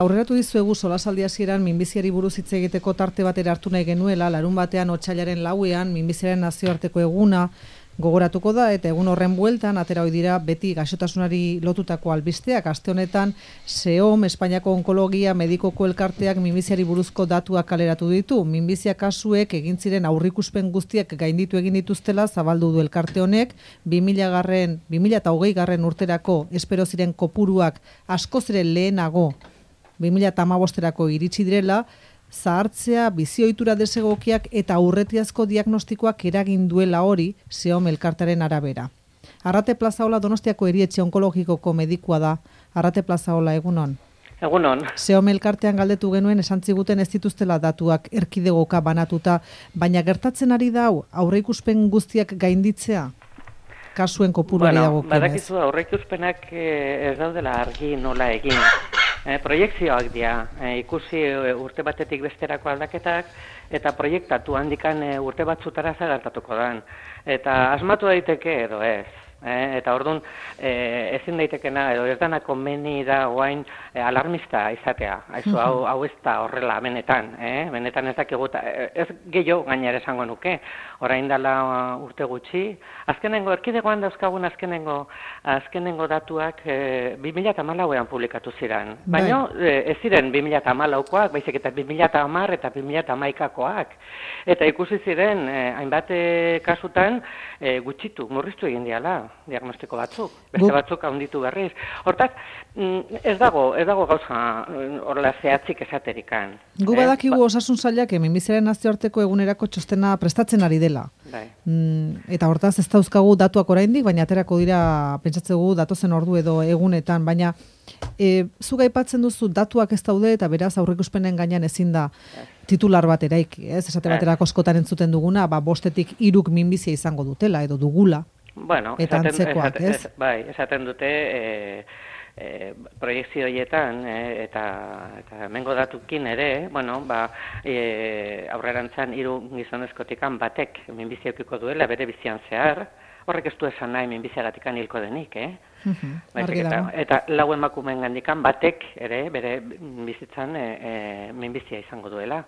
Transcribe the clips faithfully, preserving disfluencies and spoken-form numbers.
Aurreratu dizuegu solasaldi hasieran minbiziari buruz hitz egiteko tarte batera hartu nahi genuela, larun batean otsailaren lauean minbiziaren nazioarteko eguna gogoratuko da, eta egun horren bueltan atera ohi dira beti gaixotasunari lotutako albisteak. Aste honetan SEOM, Espainiako Onkologia Medikoko Elkarteak minbiziari buruzko datuak kaleratu ditu. Minbizia kasuek egin ziren aurrikuspen guztiak gainditu egin dituztela zabaldu du elkarte honek. bi mila hogei garren urterako espero ziren kopuruak askoz ere lehenago bi mila hamabosterako iritsi direla, zahartzea, bizioitura desegokiak eta aurretiazko diagnostikoak eragin duela hori SEOM elkartearen arabera. Arrate Plazaola Donostiako erietxe onkologikoko medikua da. Arrate Plazaola, egunon. Egunon. SEOM elkartean galdetu genuen esan ziguten ez dituztela datuak erkidegoka banatuta, baina gertatzen ari da hau aurreikuspen guztiak gainditzea? Kasuen kopuruari bueno, dagokionez. Badakizu aurreikuspenak ez daudela argi nola egin. E, proiektzioak dira, e, ikusi e, urte batetik besterako aldaketak, eta proiektatu handikan e, urte batzutara zagartatuko dan. Eta asmatu daiteke edo ez. E, eta orduan, e, ezin daitekena, edo ez dana komeni da oain e, alarmista izatea. Aizu, hau, hau ez da horrela, benetan. E? Benetan ez dakigu, ez gehiago gainera esango nuke. Orain dela urte gutxi. Azkenengo, erkidegoan dauzkagun azkenengo, azkenengo datuak e, bi mila hamalauean publikatu ziren. Baina e, ez ziren bi mila hamalaukoak, baizik eta bi mila hamar eta bi mila hamaikakoak. Eta ikusi ziren, e, hainbat e, kasutan, e, gutxitu, murriztu egin diala diagnostiko batzuk, beste batzuk handitu berriz. Hortaz, ez dago, ez dago gauza horrela zehatzik esaterikan. Gu badakigu eh? Osasun sailak minbiziaren nazioarteko egunerako txostena prestatzen ari dela. Bai. Mm, eta hortaz ez dauzkagu datuak oraindik, baina aterako dira pentsatzegu datozen ordu edo egunetan, baina e, zuk aipatzen duzu datuak ez daude eta beraz aurreikuspenen gainean ezin da titular bat eraiki, ez? Esate baterako askotan entzuten duguna, ba bostetik hiruk minbizia izango dutela edo dugula. Bueno, eta esaten, antzekoak, esaten, ez? Bai, esaten dute e, e, proiektzio horietan e, eta, eta mengo datukin ere, bueno, ba, e, aurrerantzan hiru gizonezkotikan batek minbizia edukiko duela bere bizian zehar, horrek ez du esan nahi minbiziagatikan hilko denik, eh? Uh-huh, eta, eta lau emakumeen gandikan batek ere bere bizitzan e, e, minbizia izango duela.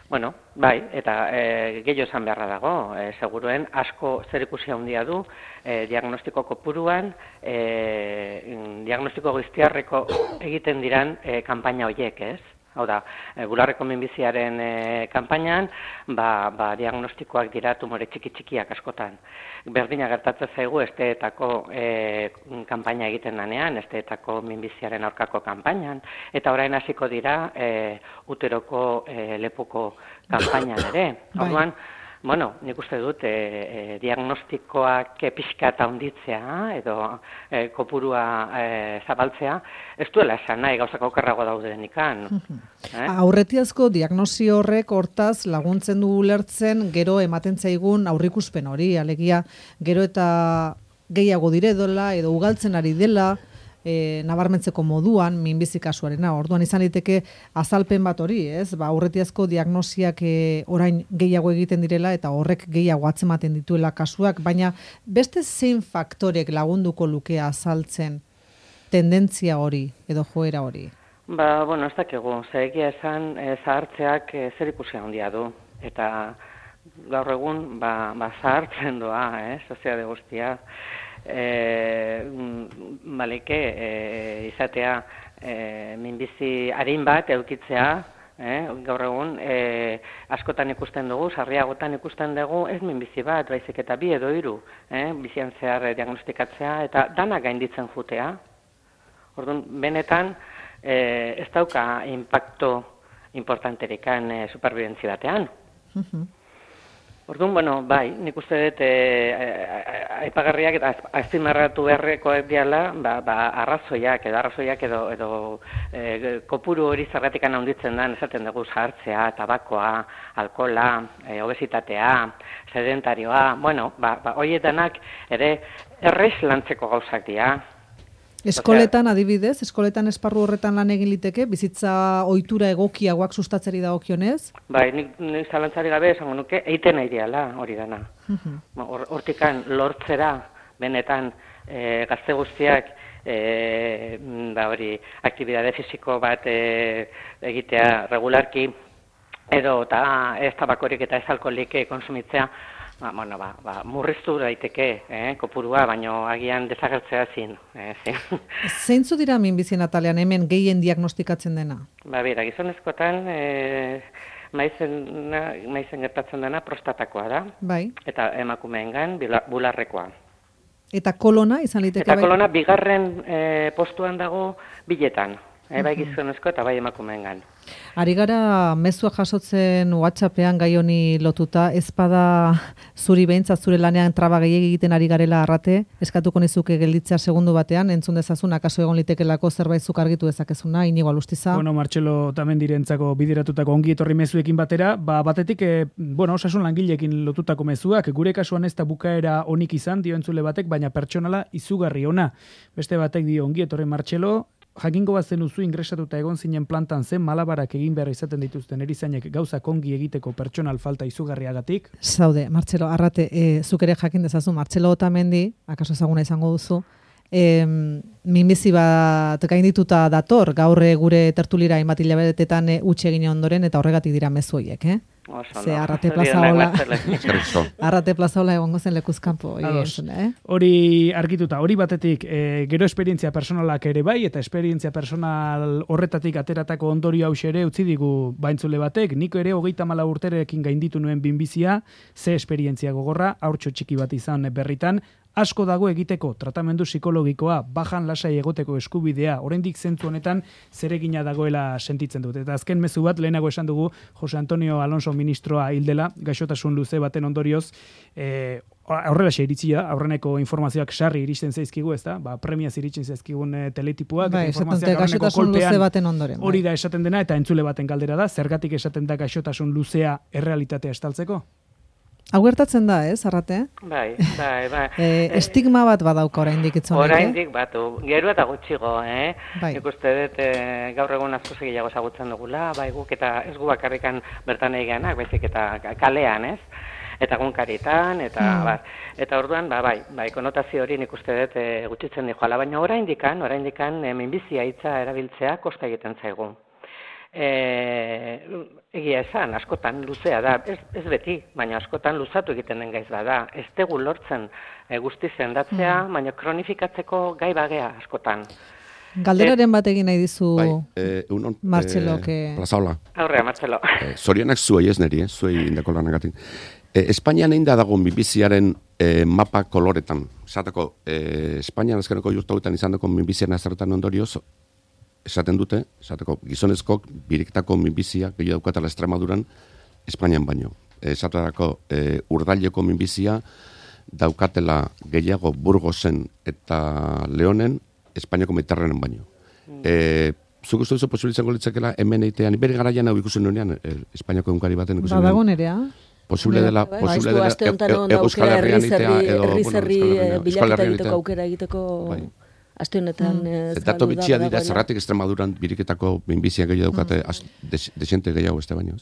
Bueno, bai, eta e, gehiago esan beharra dago, e, seguruen asko zerikusi handia du e, diagnostiko kopuruan, e, diagnostiko guztiarreko egiten diran e, kanpaina horiek, ez? Hau da, e, bularreko minbiziaren e, kanpainan, ba, ba, diagnostikoak dira tumore txiki-txikiak askotan. Berdina gertatzen zaigu esteetako e, kanpaina egiten danean, esteetako minbiziaren aurkako kanpainan, eta orain hasiko dira e, uteroko e, lepuko kanpainan ere. Orduan, bueno, nik uste dut e, e, diagnostikoak pixka eta handitzea edo e, kopurua e, zabaltzea, ez duela esan nahi gauzak okerrago daudenikan. eh? Aurretiazko diagnosi horrek hortaz laguntzen du ulertzen gero ematen zaigun aurrikuspen hori, alegia gero eta gehiago diredola edo ugaltzen ari dela, E, nabarmentzeko moduan minbizi kasuarena. Orduan izan liteke azalpen bat hori, ez? Ba, aurretiazko diagnosiak e, orain gehiago egiten direla eta horrek gehiago atzematen dituela kasuak, baina beste zein faktorek lagunduko luke azaltzen tendentzia hori edo joera hori? Ba, bueno, ez dakigu. Zeegia esan e, zahartzeak e, zer ikusi handia du. Eta gaur egun ba, ba zahartzen doa, eh? Soziade guztia. E, baleke e, izatea e, minbizi arin bat eukitzea, eh? Gaur egun e, askotan ikusten dugu, sarriagotan ikusten dugu ez minbizi bat, baizik eta bi edo hiru, eh? Bizian zehar diagnostikatzea eta dana gainditzen jutea. Orduan, benetan e, ez dauka impacto importanterikan e, superbibentzia batean. Uh-huh. Orduan, bueno, bai, nik uste dut aipagarriak eta azpimarratu beharrekoak diala, ba, ba, arrazoiak edo arrazoiak edo, edo e, kopuru hori zergatikan handitzen da, esaten dugu zahartzea, tabakoa, alkohola, e, obesitatea, sedentarioa, bueno, ba, ba, horietanak ere errez lantzeko gauzak dira. Eskoletan adibidez, eskoletan esparru horretan lan egin liteke, bizitza ohitura egokiagoak sustatzeri dagokionez? Bai, nik, nik zalantzari gabe esango nuke, eiten nahi diala hori dana. Uh-huh. Hortikan lortzera, benetan, e, gazte guztiak e, ba hori, aktibitate fisiko bat e, egitea regularki, edo eta ez tabakorik eta ez alkoholik konsumitzea, ba, bueno, ba, ba, murriztu daiteke, eh, kopurua, baino agian desagertzea zin. Eh, zin. Zeintzu dira minbizien atalean hemen gehien diagnostikatzen dena? Ba, bera, gizonezkotan, e, maizen, maizen gertatzen dena prostatakoa da, bai. Eta emakumeengan bularrekoa. Eta kolona izan liteke Eta bai? kolona bigarren e, postuan dago biletan, e, bai gizonezko eta bai emakumeengan. Ari gara mezua jasotzen WhatsAppean gai honi lotuta, ez bada zuri behintzat zure lanean traba gehiegi egiten ari garela arrate, eskatuko nizuke gelditzea segundu batean, entzun dezazun akaso egon litekelako zerbait zuk argitu dezakezuna, Inigo Alustiza. Bueno, Martxelo Tamendirentzako bideratutako ongi etorri mezuekin batera, ba batetik, e, bueno, osasun langileekin lotutako mezuak, gure kasuan ez da bukaera onik izan, dio entzule batek, baina pertsonala izugarri ona. Beste batek dio ongi etorri Martxelo, jakingo bat zenuzu ingresatuta egon zinen plantan zen malabarak egin behar izaten dituzten erizainek gauzak ongi egiteko pertsonal falta izugarriagatik. Zaude, Martxelo, arrate, e, zuk ere jakin dezazu, Martxelo Otamendi, akaso ezaguna izango duzu, e, minbizi bat gaindituta dator, gaur gure tertulira hainbat hilabetetan e, utzi egin ondoren, eta horregatik dira mezu horiek, eh? Ze arrate plazaola, arrate plazaola egongo zen lekuzkanpo. Eh? Hori argituta, hori batetik, e, gero esperientzia personalak ere bai, eta esperientzia personal horretatik ateratako ondorio hause ere utzi digu baintzule batek, niko ere hogeita hamala urterekin gainditu nuen binbizia, ze esperientzia gogorra, haurtxo txiki bat izan berritan, asko dago egiteko tratamendu psikologikoa, bajan lasai egoteko eskubidea, oraindik zentzu honetan zeregina dagoela sentitzen dut. Eta azken mezu bat, lehenago esan dugu, Jose Antonio Alonso ministroa hildela, gaixotasun luze baten ondorioz, e, aurrera xe iritzia, aurreneko informazioak sarri iristen zaizkigu, ez da? Ba, premiaz iritsen zaizkigun e, teletipuak, bai, informazioak aurreneko kolpean, hori da esaten dena, eta entzule baten galdera da, zergatik esaten da gaixotasun luzea errealitatea estaltzeko? Hau gertatzen da, ez, arrate? Bai, bai, bai. E, estigma bat badauka oraindik itzonek, eh? Oraindik batu, gero eta gutxigo, eh? Bai. Nik uste dut e, gaur egun asko segiago ezagutzen dugula, bai guk eta ez gu bakarrikan bertan egianak, baizik eta kalean, ez? Eta gunkaritan, eta mm. bar. Eta orduan, ba, bai, bai, konotazio hori nik uste dut e, gutxitzen dijoala, baina oraindikan, oraindikan e, minbizia hitza erabiltzea kosta egiten zaigu. E, egia esan, askotan luzea da, ez, ez beti, baina askotan luzatu egiten den gaiz bada. Ez tegu lortzen e, guzti zendatzea, mm. baina kronifikatzeko gai bagea askotan. Galderaren bat egin nahi dizu bai, eh, unon, Martxelo. Eh, Plazaola. Aurrea, Martxelo. Eh, Zorionak zuei ez neri, eh, zuei indako lanagatik. Eh, Espainian egin da dago minbiziaren eh, mapa koloretan. Zateko, eh, Espainian azkeneko jurtauetan izan dako minbiziaren azerretan ondorioz, esaten dute, esateko gizonezkok biriketako minbizia gehiago daukatela Extremaduran Espainian baino. Esateko e, urdaileko minbizia daukatela gehiago Burgosen eta Leonen Espainiako Mediterranean baino. Mm. E, zuk uste duzu posibilitzango litzakela hemen eitean, bere garaian hau ikusen nuenean, e, Espainiako egunkari baten ikusen nuenean. Badago nerea? Posible dela, posible dela Euskal Herrian itea edo Euskal Herrian egiteko aukera egiteko aste honetan mm. Dato bitxia dira zerratik Extremaduran biriketako minbizia gehiago daukate mm. desente gehiago ez da baino.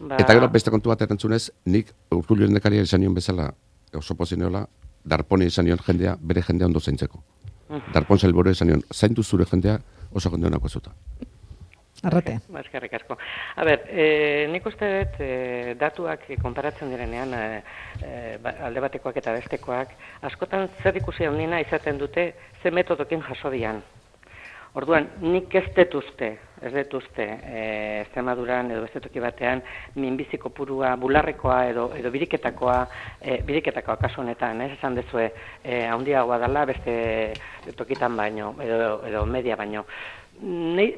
Ba. Eta gero beste kontu bat erantzunez, nik Urkullu lehendakaria izan nion bezala oso pozineola, Darponi izan nion jendea, bere jendea ondo zaintzeko. Mm. Darpon sailburu izan nion, zaintu zure jendea oso jende honako zuta. Arrate. Eskerrik asko. A ber, e, nik uste dut e, datuak konparatzen direnean e, e, alde batekoak eta bestekoak, askotan zer ikusi handiena izaten dute ze metodokin jaso dian. Orduan, nik ez detuzte, ez detuzte, e, Extremaduran edo beste toki batean, minbizi kopurua, bularrekoa edo, edo biriketakoa, e, biriketakoa kasu honetan, ez esan dezue, e, handiagoa dela beste tokitan baino, edo, edo media baino. Nei,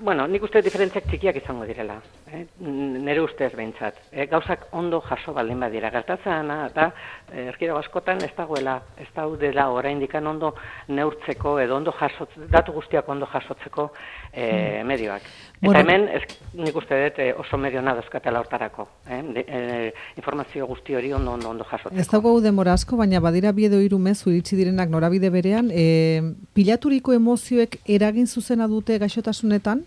bueno, nik uste diferentziak txikiak izango direla, eh? Nere ustez behintzat. Eh? Gauzak ondo jaso baldin badira. Gertatzena eta eh, erkidego askotan ez dagoela, ez daudela oraindikan ondo neurtzeko edo ondo jasotzeko, datu guztiak ondo jasotzeko eh, medioak. Eta bueno, hemen ez, nik uste dut eh, oso medio nadozkatela hortarako. Eh? De, eh, informazio guzti hori ondo ondo, ondo jasotzeko. Ez dago denbora asko, baina badira bi edo hiru mezu iritsi direnak norabide berean, eh, pilaturiko emozioek eragin zuzena dute gaixotasunetan?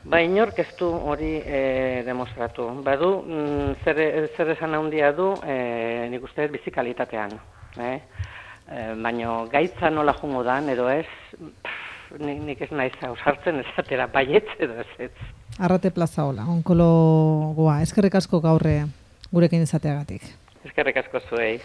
Ba, inork ez du hori e, demostratu. Badu, mm, zer, zer esan handia du, e, nik uste bizikalitatean. Eh? e, baino gaitza nola jungo dan, edo ez, pff, nik, nik ez naiz ausartzen esatera baietz edo ez ez. Arrate Plaza hola, onkologoa, eskerrik asko gaurre gurekin izateagatik. Eskerrik asko zuei.